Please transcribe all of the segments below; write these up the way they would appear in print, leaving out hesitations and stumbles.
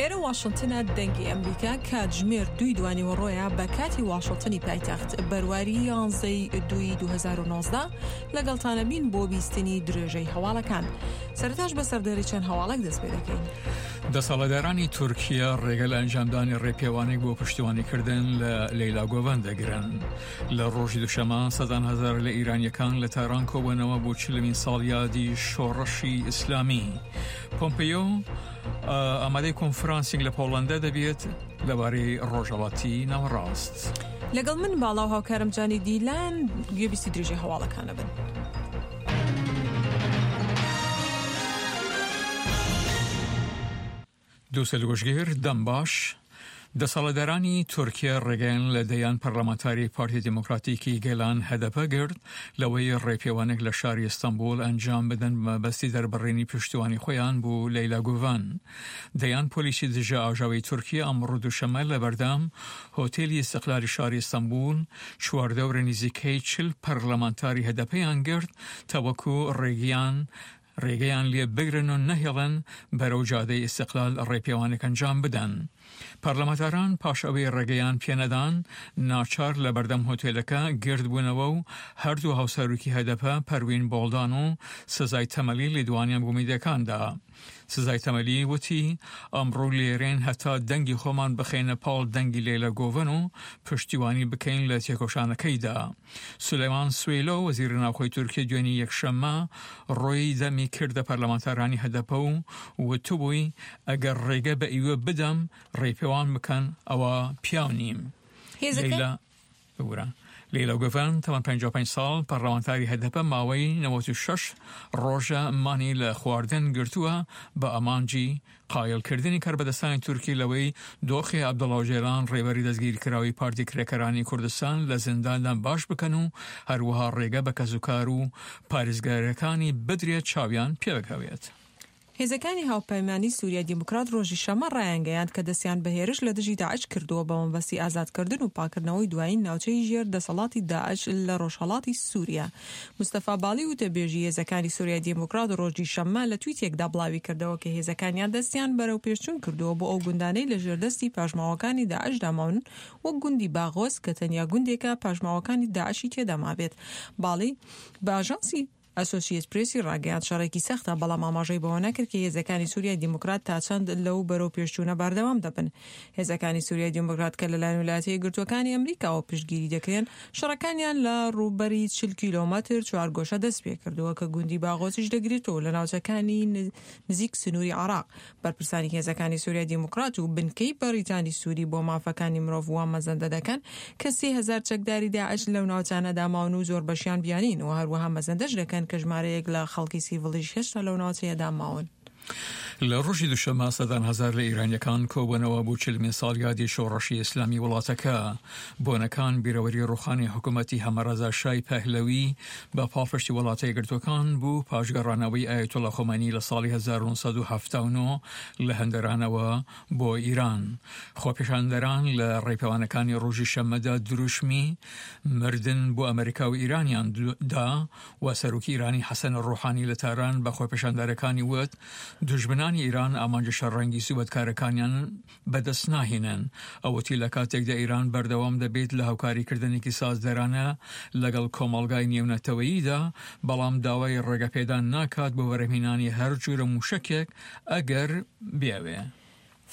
لێرە واشنتنە دەنگی ئەمریکا کاتژمێر دووی دوانیوەڕۆیە بە کاتی واشنتنی پایتەخت بەرواری یانزەی دووی 2019 لەگەڵتانە بین بۆ بیستنی درێژەی هەواڵەکان سەرتاش بە سەردێری چەند هەواڵێک دەست پێ دەکەین. دەسەڵاتدارانی تورکیا ڕێگە لە ئەنجامدانی ڕێپێوانێک بۆ پشتیوانیکردن لە لەیلا گۆڤەن دەگرن. لە ڕۆژی دوشەمە سەدان هەزار لە ئیرانیەکان لە تاران کۆبوونەوە بۆ چلمین ساڵیادی شۆڕشی ئیسلامی. پۆمپیۆ ئامادەی کۆنفرانسێک لە پۆڵەندا دەبێت لەبارەی ڕۆژهەڵاتی ناوەڕاست. لەگەڵ من باڵا و هاوکارم جانی دیلان گوێبیستی درێژەی هەواڵەکانە بن. دووسەل گوشگیر، دەم باش. دەسەڵاتدارانی تورکیا ڕێگەیان لە دەیان پەرلەمانتاری پارتی دیموکراتیکی گەلان هەدەپە گرت لەوەی ڕێپێوانێک لە شاری ئیستەنبوڵ ئەنجام بدەن بە مەبەستی دەربڕینی پشتیوانی خۆیان بۆ لەیلا گوڤەن. دەیان پۆلیسی دژە ئاژاوەی تورکیا ئەمڕۆ دووشەممە لەبەردەم هۆتێلی ئیستقلالی شاری ئیستەنبوڵ چواردەوری نزیکەی 40 پەرلەمانتاری هەدەپەیان گرت تاوەکو ڕێگیان ڕێگەیان لێ بگرن و نەهێڵن بەرەو جادەی ئیستقلال ڕێپێوانێک ئەنجام بدەن. پەرلەمانتاران پاش ئەوەی ڕێگەیان پێنەدان، ناچار لە بەردەم هۆتێلەکە گردبوونەوە و هەردوو هاوسەرۆکی هەدەپە پەروین بۆڵدان و سزای تەمەلی لێدوانیان بۆ میدیاکان دا. سزای تەمەلی وتی، ئەمڕۆ لێرەین هەتا دەنگی خۆمان بخەینە پاڵ دەنگی لەیلا گۆڤەن و پشتیوانی بکەین لە تێکۆشانەکەیدا. سولەیمان سویلۆ، وەزیری ناوخۆی تورکیە دوێنی یەکشەممە ڕووی دەمی کردە پەرلەمانتارانی هەدەپە و وتبووی، ئەگەر ڕێگە بە ئیوە بدەم ڕێپێوان بکەن ئەوا پیاو نیم. لەیلا ببورە لەیلا گوڤەن تەمەن 55 ساڵ پەرلەمانتاری هەدەپە ماوەی 96 ڕۆژە مانی لە خواردن گرتووە بە ئامانجی قایڵکردنی کاربەدەستانی تورکی لەوەی دۆخی عەبدوڵا ئۆجەلان ڕێبەری دەستگیرکراوی پارتی کرێکارانی کوردستان لە زینداندا باش بکەن و هەروەها ڕێگە بە کەسوکار و پارێزگارەکانی بدرێت چاویان پێبکەوێت. هێزەکانی هاوپەیمانی سوریای دیموکرات ڕۆژی شەممە ڕایانگەیاند کە دەستیان بە هێرش لە دژی داعش کردووە بە مەبەستی ئازادکردن و پاککردنەوەی دوایین ناوچەی ژێر دەسەڵاتی داعش لە ڕۆژهەڵاتی سوریا. مستەفا باڵی وتەبێژی هێزەکانی سوریای دیموکرات ڕۆژی شەممە لە تویتێکدا بڵاویکردەوە کە هێزەکانیان دەستیان بەرەوپێشچوون کردووە بۆ ئەو گوندانەی لە ژێر دەستی پاشماوەکانی داعشدا ماون وەک گوندی باغۆز کە تەنیا گوندێکە پاشماوەکانی داعشی تێدا مابێت. باڵی بە ئاژانسی ئەسۆسیەت پرێسی ڕاگەیاند شەڕێکی سەختە، بەڵام ئاماژەی بەوە نەکرد کە هێزەکانی سوریای دیموکرات تا چەند لەو بەرەو پێشچوونە بەردەوام دەبن. هێزەکانی سوریای دیموکرات کە لەلایەن ویلایەتە یەکگرتووەکانی ئەمریکاوە پشتگیری دەکرێن، شەڕەکانیان لە ڕووبەری 40 کیلۆمەتر چوارگۆشە دەستپێکردووە کە گوندی باغۆزیش دەگرێتەوە لە ناوچەکانی نزیک سنووری عێراق. بەرپرسانی هێزەکانی سوریای دیموکرات و بنکەی بەریتانی سوری بۆ مافەکانی مرۆڤ وا مەزەندە دەکەن کە 3000 چەکداری داعش لەو ناوچانەدا ماون و زۆربەشیان بیانین و هەروەها مەزەندەش دەکەن کە ژمارەیەک لە خەڵکی سیڤڵیش هێشتا لەو ناوچەیەدا ماون. لە ڕۆژی دووشەممە سەدان هەزار لە ئیرانیەکان کۆبوونەوە بۆ چلمین ساڵیادی شۆڕشی ئیسلامی وڵاتەکە. بۆنەکان بیرەوەری ڕوخانی حکوومەتی هەمەڕەزا شای پەهلەوی بە پاڵپشتی وڵاتە یەکگرتووەکان بوو پاش گەڕانەوەی ئایەتوڵا خۆمەینی لە ساڵی 1979 لە هەندەرانەوە بۆ ئیران. خۆپێشاندەران لە ڕێپێوانەکانی ڕۆژی شەممەدا دروشمی مردن بۆ ئەمریکا و ئیرانیان دا و سەرۆکی ئیرانی حەسەن ڕۆحانی لە تاران بە خۆپێشاندەرەکانی وت دوژمنانی ئیران ئامانجە شەڕەنگیز و بەدکارەکانیان بەدەست ناهێنن. ئەو وتی لە کاتێکدا ئیران بەردەوام دەبێت لە هاوکاریکردنێکی سازدەرانە لەگەڵ کۆمەڵگای نێونەتەوەییدا، بەڵام داوای ڕێگەپێدان ناکات بۆ بەرهەمهێنانی هەر جورە موشەکێک ئەگەر بیەوێ.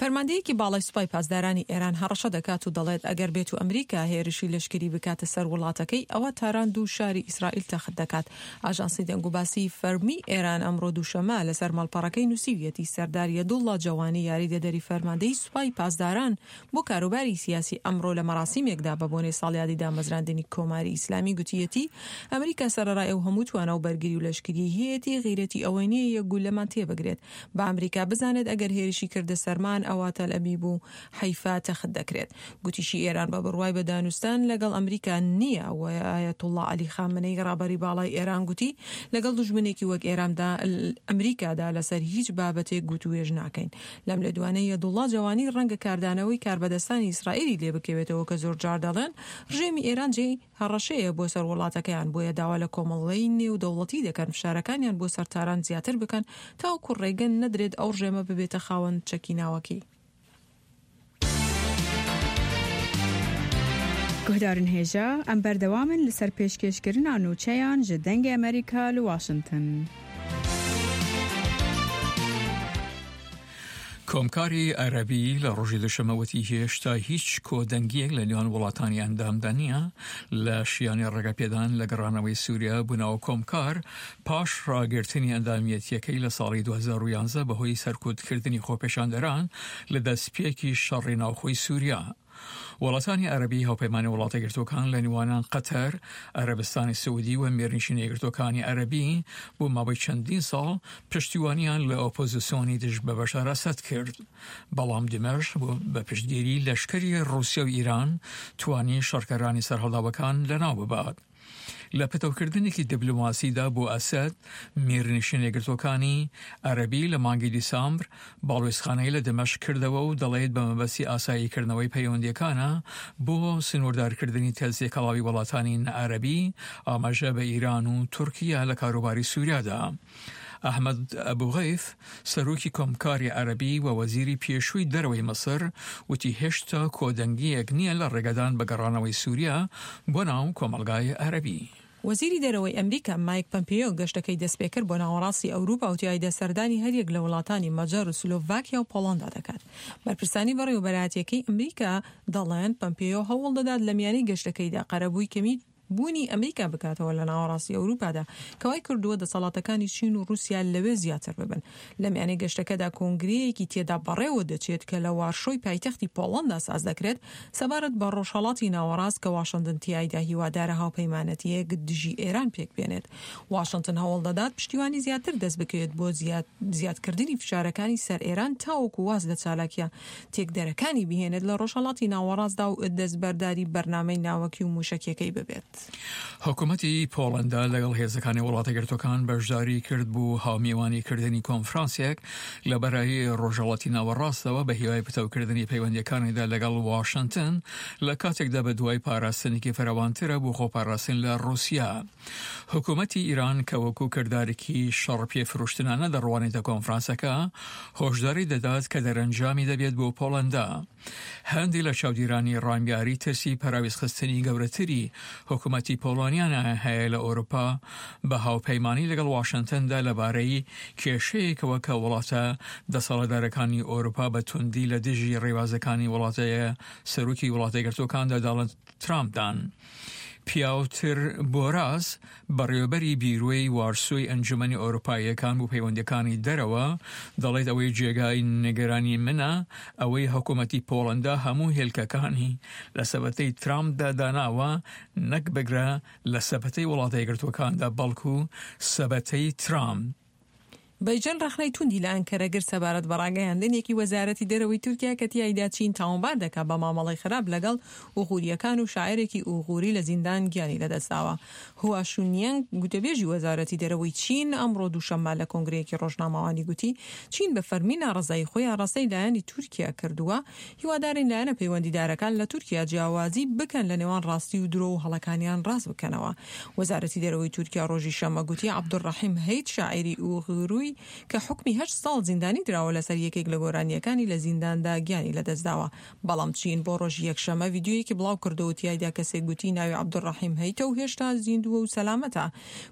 فەرماندەیەکی باڵای سوپای پاسدارانی ئێران هەڕەشە دەکات و دەڵێت ئەگەر بێتو ئەمریکا هێرشی لەشکری بکاتە سەر وڵاتەکەی ئەوا تاران دوو شاری ئیسرائیل تەخت دەکات. ئاژانسی دەنگوباسی فەرمی ئێران ئەمڕۆ دووشەممە لەسەر ماڵپەڕەکەی نووسیویەتی سەردار یەدوڵڵا جەوانی یاریدەدەری فەرماندەی سوپای پاسداران بۆ کاروباری سیاسی ئەمڕۆ لە مەراسیمێکدا بە بۆنەی ساڵیادی دامەزراندنی کۆماری ئیسلامی گوتیەتی ئەمریکا سەرەڕای ئەو هەموو توانا و بەرگری و لەشکریەی هەیەتی غیرەتی ئەوەی نییە یەک گوللەمان تێبگرێت با ئەمریکا بزانێت ئەگەر هێرشی کردە سەرمان ئەوا تەلئەبیب و حەیفا تەخت دەکرێت. گوتیشی ئێران بە بڕوای بە دانوستان لەگەڵ ئەمریکا نییە و ئایەتوڵڵا عەلی خامنەیی ڕابەری باڵای ئێران گوتی لەگەڵ دوژمنێکی وەک ئێراندا ئەمریکادا لەسەر هیچ بابەتێک گوتووێژ ناکەین. لەم لێدوانەی یەدوڵڵا جەوانی ڕەنگە کاردانەوەی کاربەدەستانی ئیسرائیلی لێ بکەوێتەوە کە زۆرجار دەڵێن ڕژێمی ئێران جێی هەڕەشەیە بۆ سەر وڵاتەکەیان، بۆیە داوا لە کۆمەڵگەی نێودەوڵەتی دەکەن فشارەکانیان بۆ سەر تاران زیاتر بکەن تاوەکو ڕێگە نەدرێت ئەو ڕژێمە ببێتە خاوەن چەکی ناوەکی. Guhdarên hêja, em berdewam in li ser pêşkêşkirina nûçeyan ji Dengê Amerîka li Washington. کۆمکاری عەرەبی لە ڕۆژی دوشەمە وتی هێشتا هیچ کۆدەنگییەک لە نێوان وڵاتانی ئەندامدا نییە لە شیانی ڕێگەپێدان لە گەڕانەوەی سووریا بۆ ناو کۆمکار پاش ڕاگرتنی ئەندامیەتییەکەی لە ساڵی 2011 بەهۆی سەرکوتکردنی خۆپێشاندەران لە دەستپێکی شەڕی ناوخۆی سووریا. وڵاتانی عەرەبی هاوپەیمانی وڵاتە یەکگرتووەکان لە نێوانیان قەتەر، عەرەبستانی سعودی و میرنشینە یەکگرتووەکانی عەرەبی بۆ ماوەی چەندین ساڵ پشتیوانیان لە ئۆپۆزیسیۆنی دژ بە بەشار ئەسەد کرد. بەڵام دیمەشق بە پشتگیری لەشکری ڕووسیا و ئیران توانی شەڕکەرانی سەرهەڵداوەکان لەناو ببات. لە پتەوکردنێکی دیبلۆماسیدا بۆ ئەسەد، میرنشینە یەکگرتووەکانی عەرەبی لە مانگی دیسامبر باڵوێزخانەی لە دمەشق کردەوە و دەڵێت بە مەبەستی ئاساییکردنەوەی پەیوەندییەکانە بۆ سنووردارکردنی تێکەڵاوی وڵاتانی نەعەرەبی، ئاماژە بە ئیران و تورکیا لە کاروباری سووریادا. ئەحمەد ئەبو غەیف، سەرۆکی کۆمکاری عەرەبی و وەزیری پێشووی دەرەوەی میسر، وتی هێشتا کۆدەنگییەک نییە لە ڕێگەدان بە گەڕانەوەی سووریا بۆ ناو کۆمەڵگای عەرەبی. وەزیری دەرەوەی ئەمریکا مایک پەمپێیۆ گەشتەکەی دەستپێکرد بۆ ناوەڕاستی ئەوروپا و تیایدا سەردانی هەریەک لە وڵاتانی مەجەر و سلۆڤاکیا و پۆڵەندا دەکات. بەرپرسانی بەڕێوەبەرایەتییەکەی ئەمریکا دەڵێن پەمپێیۆ هەوڵدەدات لە میانەی گەشتەکەیدا قەرەبووی کەمی بوونی ئەمریکا بکاتەوە لە ناوەڕاستی ئەوروپادا، کە وای کردووە دەسەڵاتەکانی چین و ڕووسیا لەوێ زیاتر ببن. لە میانەی گەشتەکەدا کۆنگرەیەکی تێدا بەڕێوە دەچێت کە لە وارشۆی پایتەختی پۆڵەندا ساز دەکرێت سەبارەت بە ڕۆژهەڵاتی ناوەڕاست کە واشنتن تیایدا هیوادارە هاوپەیمانەتییەک دژی ئێران پێک بێنێت. واشنتن هەوڵ دەدات پشتیوانی زیاتر دەست بکەوێت بۆ زیادکردنی فشارەکانی سەر ئێران تاوەکو واز لە چالاکییە تێکدەرەکانی بهێنێت لە ڕۆژهەڵاتی ناوەڕاستدا و دەستبەرداری بەرنامەی ناوەکی و مووشەکیەکەی ببێت. حکومەتی پۆڵەندا لەگەڵ هێزەکانی وڵاتەیەکگرتووەکان بەشداری کرد بۆ هاومیوانی کردنی کۆنفرانسێک لە بەرایی ڕۆژهەڵاتی ناوەڕاستەوە بە هیوای پتەوکردنی پەیوەندیەکانیدا لەگەڵ واشنتن لە کاتێکدا بە دوای پاراستنێکی فراوانترە بۆ خۆپاراستن لە ڕووسیا. حکومەتی ئیران کە وەکو کردارێکی شەڕ پێفرۆشتنانە دەڕوانێتە کۆنفرانسەکە، هۆشداری دەدات کە دەرەنجامی دەبێت بۆ پۆڵەندا. هەندێک لە چاودیرانی ڕامیاری ترسی پەراوێزخستنی گەورەتری حکومەتی پۆڵۆنیان هەیە لە ئەوروپا بە هاوپەیمانی لەگەڵ واشنتندا لەبارەی کێشەیەکەوە کە وڵاتە دەسەڵاتدارەکانی ئەوروپا بە توندی لە دژی ڕێبازەکانی وڵاتە سەرۆکی وڵاتە یەکگرتووەکاندا داڵند ترامپدان. پیاوتر بۆراس، بەڕێوەبەری بیرۆی وارسۆی ئەنجومەنی ئەوروپاییەکان بۆ پەیوەندییەکانی دەرەوە، دەڵێت ئەوەی جێگای نیگەرانی منە ئەوەی حکومەتی پۆڵەندا هەموو هێلکەکانی لە سەبەتەی ترامپدا داناوە نەک بگرە لە سەبەتەی وڵاتە یەکگرتووەکاندا بەڵکو سەبەتەی ترامپ. بەیجەن ڕەخنەی توندی لە ئەنکەرە گرت سەبارەت بە ڕاگەیاندنێکی وەزارەتی دەرەوەی تورکیا کە تیایدا چین تاوانبار دەکات بە مامەڵەی خراپ لەگەڵ ئوغورییەکان و شاعێرێکی ئوغوری لە زیندان گیانی لەدەستداوە. هوا شونیەنگ گوتەبێژی وەزارەتی دەرەوەی چین ئەمڕۆ دووشەممە لە کۆنگرەیەکی ڕۆژنامەوانی گوتی چین بە فەرمی ناڕەزایی خۆی ئاڕاستەی لایەنی تورکیا کردووە هیوادارین لایەنە پەیوەندیدارەکان لە تورکیا جیاوازی بکەن لە نێوان ڕاستی و درۆ و هەڵەکانیان ڕاست بکەنەوە. وەزارەتی دەرەوەی تورکیا ڕۆژی شەممە گوتی عەبدولڕەحیم هەیت شاعیری ئوغوروی کە حوکمی هەشت ساڵ زیندانی دراوە لەسەر یەکێک لە گۆرانییەکانی لە زینداندا گیانی لەدەستداوە. بەڵام چین بۆ ڕۆژی یەکشەممە ڤیدیۆیەکی بڵاوکردەوە و تیایدا کەسێک گوتی ناوی عەبدولڕەحیم هەیتە و هێشتا زیندووە و سەلامەتە.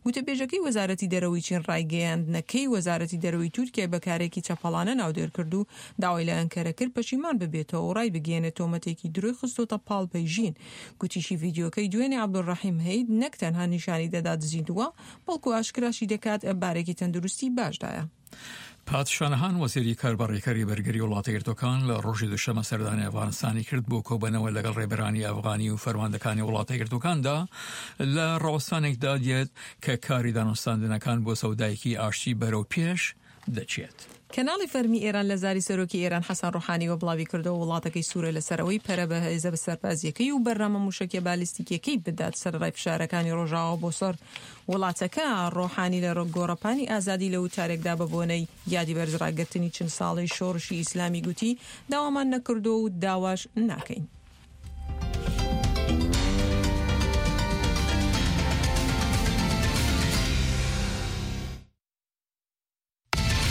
گوتەبێژەکەی وەزارەتی دەرەوەی چین ڕایگەیاندنەکەی وەزارەتی دەرەوەی تورکیای بە کارێکی چەپەڵانە ناودێر کرد و داوای لە ئەنکەرە کرد پەشیمان ببێتەوە و ڕایبگەیەنێت تۆمەتێکی درۆی خستۆتە پاڵ پەیژین. گوتیشی ڤیدیۆکەی دوێنێ عەبدولڕەحیم هەید نەک تەنها نیشانی دەدات زیندووە، بەڵکو ئاشکراشی دەکات بارێکی تەندروستی باشدایە. پات شانەهان وەزیری کاربەڕێکەری بەرگری وڵاتە یەکگرتووەکان لە ڕۆژی دووشەممە سەردانی ئەفغانستانی کرد بۆ کۆبەنەوە لەگەڵ ڕێبەرانی ئەفغانی و فەرماندەکانی وڵاتە یەکگرتووەکاندا لە ڕاوەستانێکدا دێت کە کاری دانوستاندنەکان بۆ سەودایەکی ئاشتی بەرەو پێش دەچێت. کەناڵی فەرمی ئێران لە زاری سەرۆکی ئێران حەسەن ڕۆحانیوە بڵاویکردەوە، وڵاتەکەی سوورە لەسەر ئەوەی پەرە بە هێزە سەربازییەکەی و بەرنامە مووشەکیە بالیستیکیەکەی بدات سەرەڕای فشارەکانی ڕۆژاوا بۆ سەر وڵاتەکە. ڕۆحانی لە گۆڕەپانی ئازادی لە وتارێکدا بە بۆنەی یادی بەرزڕاگرتنی 40 ساڵەی شۆڕشی ئیسلامی گوتی، داوامان نەکردووە و داواش ناکەین.